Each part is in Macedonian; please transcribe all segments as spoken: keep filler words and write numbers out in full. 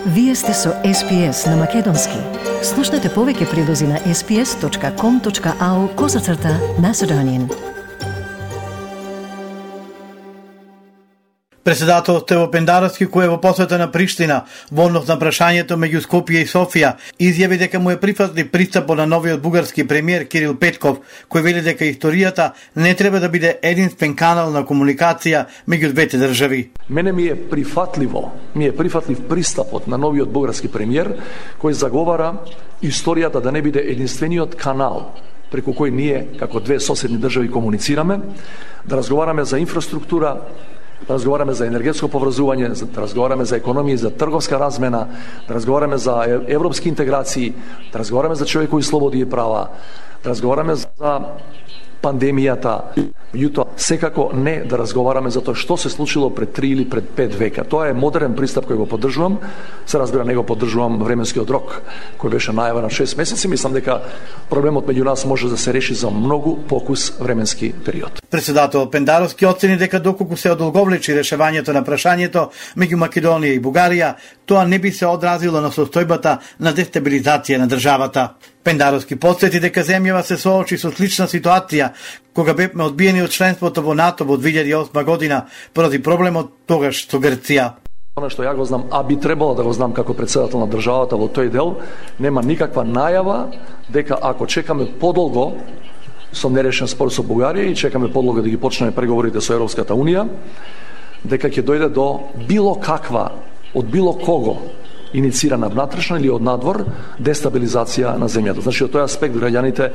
Вие сте со Ес Пи Ес на Македонски. Слушнете повеќе прилози на ес пи ес точка ком точка ау козацрта Macedonian. Председателот Тево Пендаровски, кој е во посета на Приштина во однос на прашањето меѓу Скопје и Софија, изјави дека му е прифатлив пристапот на новиот бугарски премиер Кирил Петков, кој вели дека историјата не треба да биде единствен канал на комуникација меѓу двете држави. Мене ми е прифатливо, ми е прифатлив пристапот на новиот бугарски премиер, кој заговара историјата да не биде единствениот канал преку кој ние, како две соседни држави, комуницираме, да разговараме за инфраструктура, да разговараме за енергетско поврзување, да разговараме за економија, за трговска размена, да разговараме за европски интеграции, да разговараме за човекови слободи и права, да разговараме за пандемијата, меѓутоа секако не да разговараме за тоа што се случило пред три или пред пет века. Тоа е модерен пристап кој го поддржувам. Се разбира, не го поддржувам временскиот рок кој беше најавен на шест месеци. Мислам дека проблемот меѓу нас може да се реши за многу покус временски период. Председател Пендаровски оцени дека доколку се одолговлечи решавањето на прашањето меѓу Македонија и Бугарија, тоа не би се одразило на состојбата на дестабилизација на државата. Пендаровски потсети дека земјава се соочи со слична ситуација кога бевме одбиени од членството во НАТО во две илјади и осма година поради проблемот тогаш со Грција. Она што ја го знам, а би требало да го знам како председател на државата во тој дел, нема никаква најава дека ако чекаме подолго со нерешен спор со Бугарија и чекаме подолго да ги почнеме преговорите со Европската унија, дека ќе дојде до било каква од било кого иницирана внатрешно или од надвор дестабилизација на земјата. Значи, од тој аспект граѓаните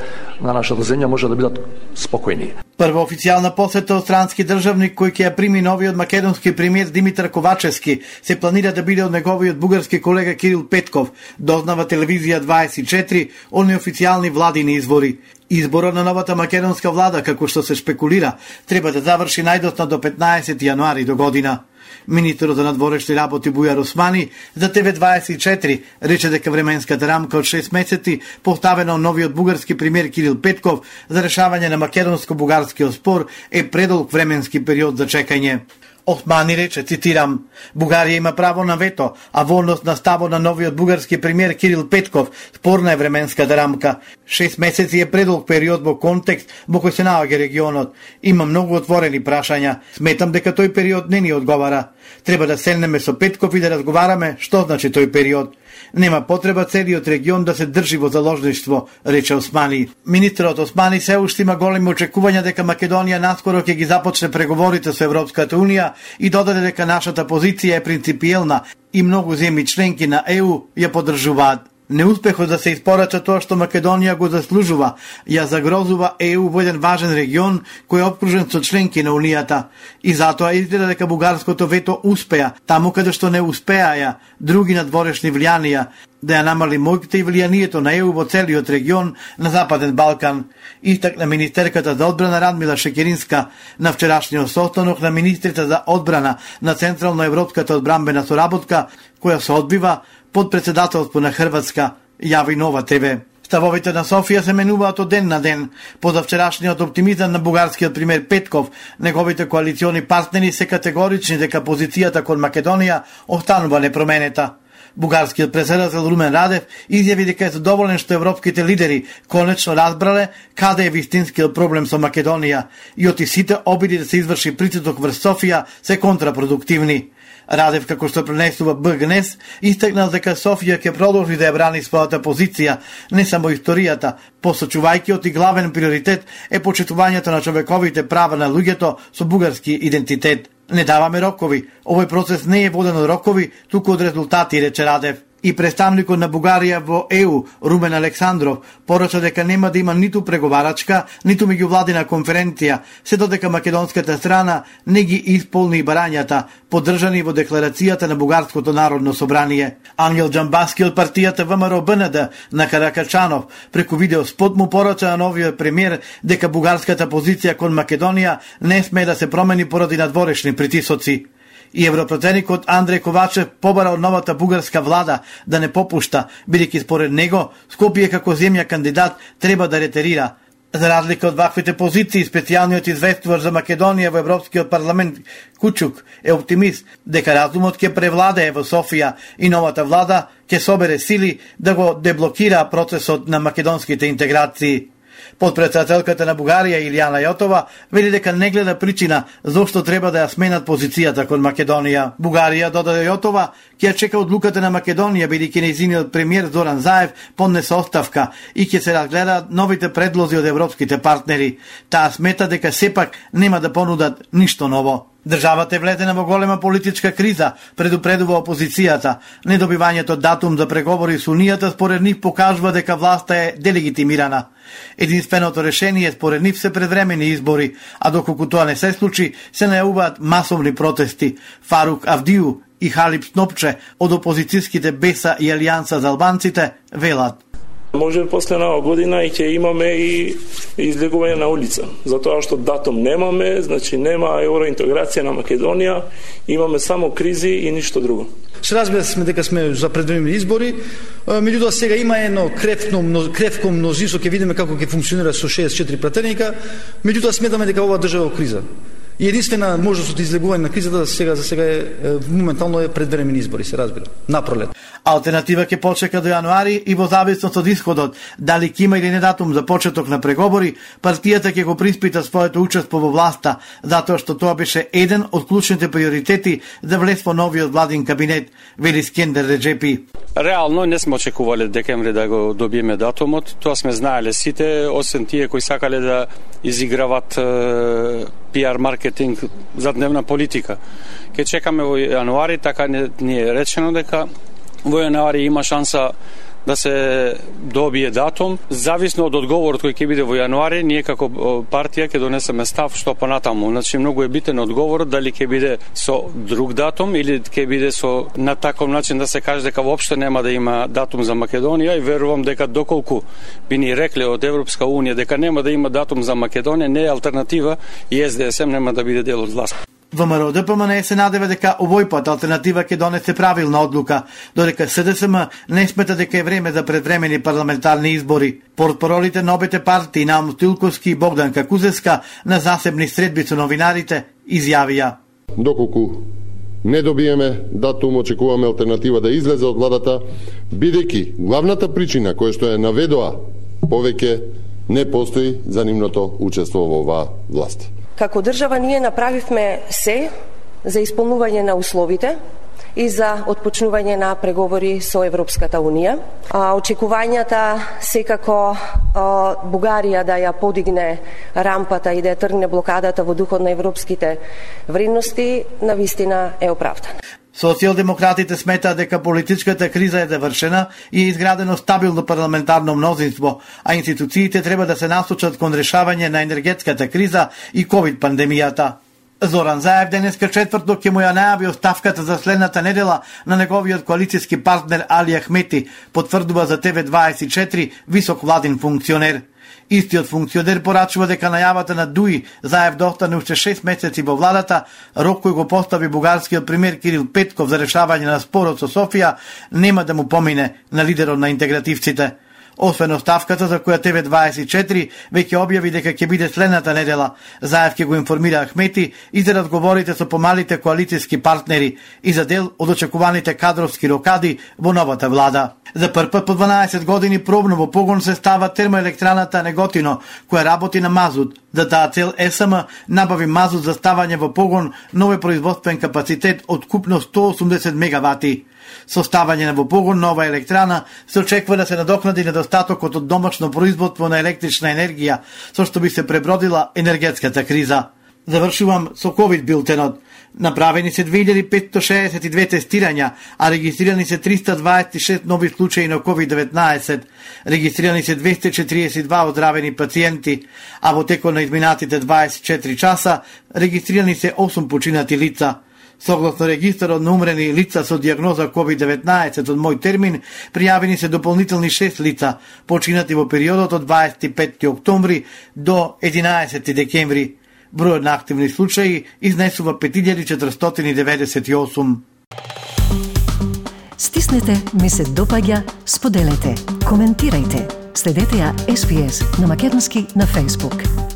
на нашата земја може да бидат спокојни. Прва официјална посета од странски државник кој ќе ја прими новиот македонски премиер Димитар Ковачевски се планира да биде од неговиот бугарски колега Кирил Петков, дознава телевизија дваесет и четири од неофицијални владини извори. Изборот на новата македонска влада, како што се шпекулира, треба да заврши најдоцна до петнаесети јануари до година. Министерот за надворешни работи Бујар Османи за Те Ве дваесет и четири рече дека временската рамка од шест месеци поставена од новиот бугарски премиер Кирил Петков за решавање на македонско-бугарскиот спор е предолг временски период за чекање. Османи рече, цитирам, Бугарија има право на вето, а во однос на ставот на новиот бугарски премиер Кирил Петков спорна е временската рамка. Шест месеци е предолг период во контекст во кој се наоѓа регионот. Има многу отворени прашања. Сметам дека тој период не ни одговара. Треба да седнеме со Петков и да разговараме што значи тој период. Нема потреба целиот регион да се држи во заложништво, рече Османи. Министерот Османи се уште има големи очекувања дека Македонија наскоро ќе ги започне преговорите со Европската унија и додаде дека нашата позиција е принципиелна и многу земји членки на Е У ја поддржуваат. Неуспехот да се испорача тоа што Македонија го заслужува, ја загрозува Е У во еден важен регион кој е опкружен со членки на Унијата. И затоа изгледа дека бугарското вето успеа, таму каде што не успеаја други надворешни влијанија, да ја намали моќта и влијанието на Е У во целиот регион на Западен Балкан, истакна министерката за одбрана Радмила Шекеринска на вчерашниот состанок на министрите за одбрана на Централно-европската одбранбена соработка, која се одбива под председателство на Хрватска, јави Нова Те Ве. Ставовите на Софија се менуваат од ден на ден. Позавчерашниот оптимизам на бугарскиот премиер Петков, неговите коалициони партнери се категорични дека позицијата кон Македонија останува непроменета. Бугарскиот председател Румен Радев изјави дека е задоволен што европските лидери конечно разбрале каде е вистинскиот проблем со Македонија и оти сите обиди да се изврши притисок врз Софија се контрапродуктивни. Радев, како што пренесува Б Г Н Е С, истакнал дека Софија ќе продолжи да ја брани својата позиција, не само историјата, посочувајќи оти главен приоритет е почитувањето на човековите права на луѓето со бугарски идентитет. Не даваме рокови. Овој процес не е воден од рокови, туку од резултати, рече Радев. И представникот на Бугарија во Е У, Румен Александров, порача дека нема да има ниту преговарачка, ниту меѓувладина конференција, се додека македонската страна не ги исполни барањата, поддржани во декларацијата на Бугарското народно собрание. Ангел Џамбаски од партијата В М Р Б Н Д на Каракачанов преку видео спот му порача на новиот премиер дека бугарската позиција кон Македонија не сме да се промени поради надворешни притисоци. И европредседникот Андреј Ковачев побара од новата бугарска влада да не попушта, бидејќи според него Скопје како земја кандидат треба да ретерира. За разлика од ваквите позиции, специјалниот известувач за Македонија во Европскиот парламент Кучук е оптимист дека разумот ќе превладее во Софија и новата влада ќе собере сили да го деблокира процесот на македонските интеграции. Подпредседателката на Бугарија Илијана Јотова вели дека не гледа причина зошто треба да ја сменат позицијата кон Македонија. Бугарија, додаде Јотова, ќе ја чека одлуката на Македонија, бидејќи нејзиниот премиер Зоран Заев поднесе оставка и ќе се разгледаат новите предлози од европските партнери. Таа смета дека сепак нема да понудат ништо ново. Државата е влезена во голема политичка криза, предупредува опозицијата. Недобивањето датум за преговори со Унијата според нив покажува дека власта е делегитимирана. Единственото решение според нив се предвремени избори, а доколку тоа не се случи, се најавуваат масовни протести. Фарук Авдију и Халип Снопче од опозицијските Беса и Алијанса за албанците велат: може би после нова година и ќе имаме и излегување на улица. Затоа што датум немаме, значи нема евроинтеграција на Македонија, имаме само кризи и ништо друго. Се разбира сме дека сме за предвремени избори, меѓутоа сега има едно кревно, кревко мнозинство, ќе видиме како ќе функционира со шеесет и четири пратеника, меѓутоа сметаме дека ова држава е во криза. И единствена можност од излегување на кризата сега за сега е моментално е предвремени избори, се разбира, на пролет. Алтернатива ќе почека до јануари и во зависност од исходот, дали ќе има или не датум за почеток на преговори, партијата ќе го приспита своето учество во власта, затоа што тоа беше еден од клучните приоритети за влез во новиот владин кабинет, вели Скендер Реджепи. Реално не сме очекувале декември да го добиеме датумот, тоа сме знаеле сите, освен тие кои сакале да изиграват е, пиар маркетинг за дневна политика. Ке чекаме во јануари, така не, ни е речено дека во јануари има шанса да се добие датум. Зависно од одговорот кој ќе биде во јануари, ние како партија ќе донесеме став што понатаму. Значи многу е битен одговорот дали ќе биде со друг датум или ќе биде со на таков начин да се каже дека воопшто нема да има датум за Македонија, и верувам дека доколку би ни рекле од Европска унија дека нема да има датум за Македонија, не е алтернатива и Ес Де Ес Ем нема да биде дел од власт. ВМРО Д П М Н се надева дека овој пат алтернатива ќе донесе правилна одлука, додека С Д С М не смета дека е време за предвремени парламентарни избори. Портпаролите на обете партии Наум Стилковски и Богданка Кузеска на засебни средби со новинарите изјавија: доколку не добиеме датум, очекуваме алтернатива да излезе од владата, бидејќи главната причина која што е наведоа повеќе не постои за нивното учество во оваа власт. Како држава ние направивме се за исполнување на условите и за отпочнување на преговори со Европската унија. А, очекувањата секако а, Бугарија да ја подигне рампата и да ја тргне блокадата во духот на европските вредности навистина е оправдана. Социјалдемократите сметаат дека политичката криза е завршена и е изградено стабилно парламентарно мнозинство, а институциите треба да се насочат кон решавање на енергетската криза и ковид пандемијата. Зоран Заев денеска четврток ќе му ја најави оставката за следната недела на неговиот коалицијски партнер Али Ахмети, потврдува за Те Ве дваесет и четири висок владин функционер. Истиот функционер порачува дека најавата на Дуи Заев да остане уште шест месеци во владата, рок кој го постави бугарскиот премиер Кирил Петков за решавање на спорот со Софија, нема да му помине на лидерот на интегративците. Освен оставката за која Те Ве дваесет и четири веќе објави дека ќе биде следната недела, Заев ќе го информира Ахмети и за разговорите со помалите коалицијски партнери и за дел од очекуваните кадровски рокади во новата влада. За прв пат по дванаесет години пробно во погон се става термоелектраната Неготино, која работи на мазут. За таа цел Е С М набави мазут за ставање во погон, нови производствен капацитет од купно сто осумдесет мегавати. Со ставање во погон нова електрана се очекува да се надокнади недостатокот од домашно производство на електрична енергија, со што би се пребродила енергетската криза. Завршувам со ковид билтенот. Направени се две илјади петстотини шеесет и две тестирања, а регистрирани се триста дваесет и шест нови случаи на ковид деветнаесет. Регистрирани се двесте четириесет и два оздравени пациенти, а во текот на изминатите дваесет и четири часа регистрирани се осум починати лица. Согласно регистарот на умрени лица со дијагноза ковид деветнаесет од мој термин, пријавени се дополнителни шест лица, починати во периодот од дваесет и петти октомври до единаесети декември. Бројот на активни случаи изнесува пет илјади четиристотини деветдесет и осум. Стиснете, ми се допаѓа, споделете, коментирајте. Следете ја Ес Би Ес на македонски на Facebook.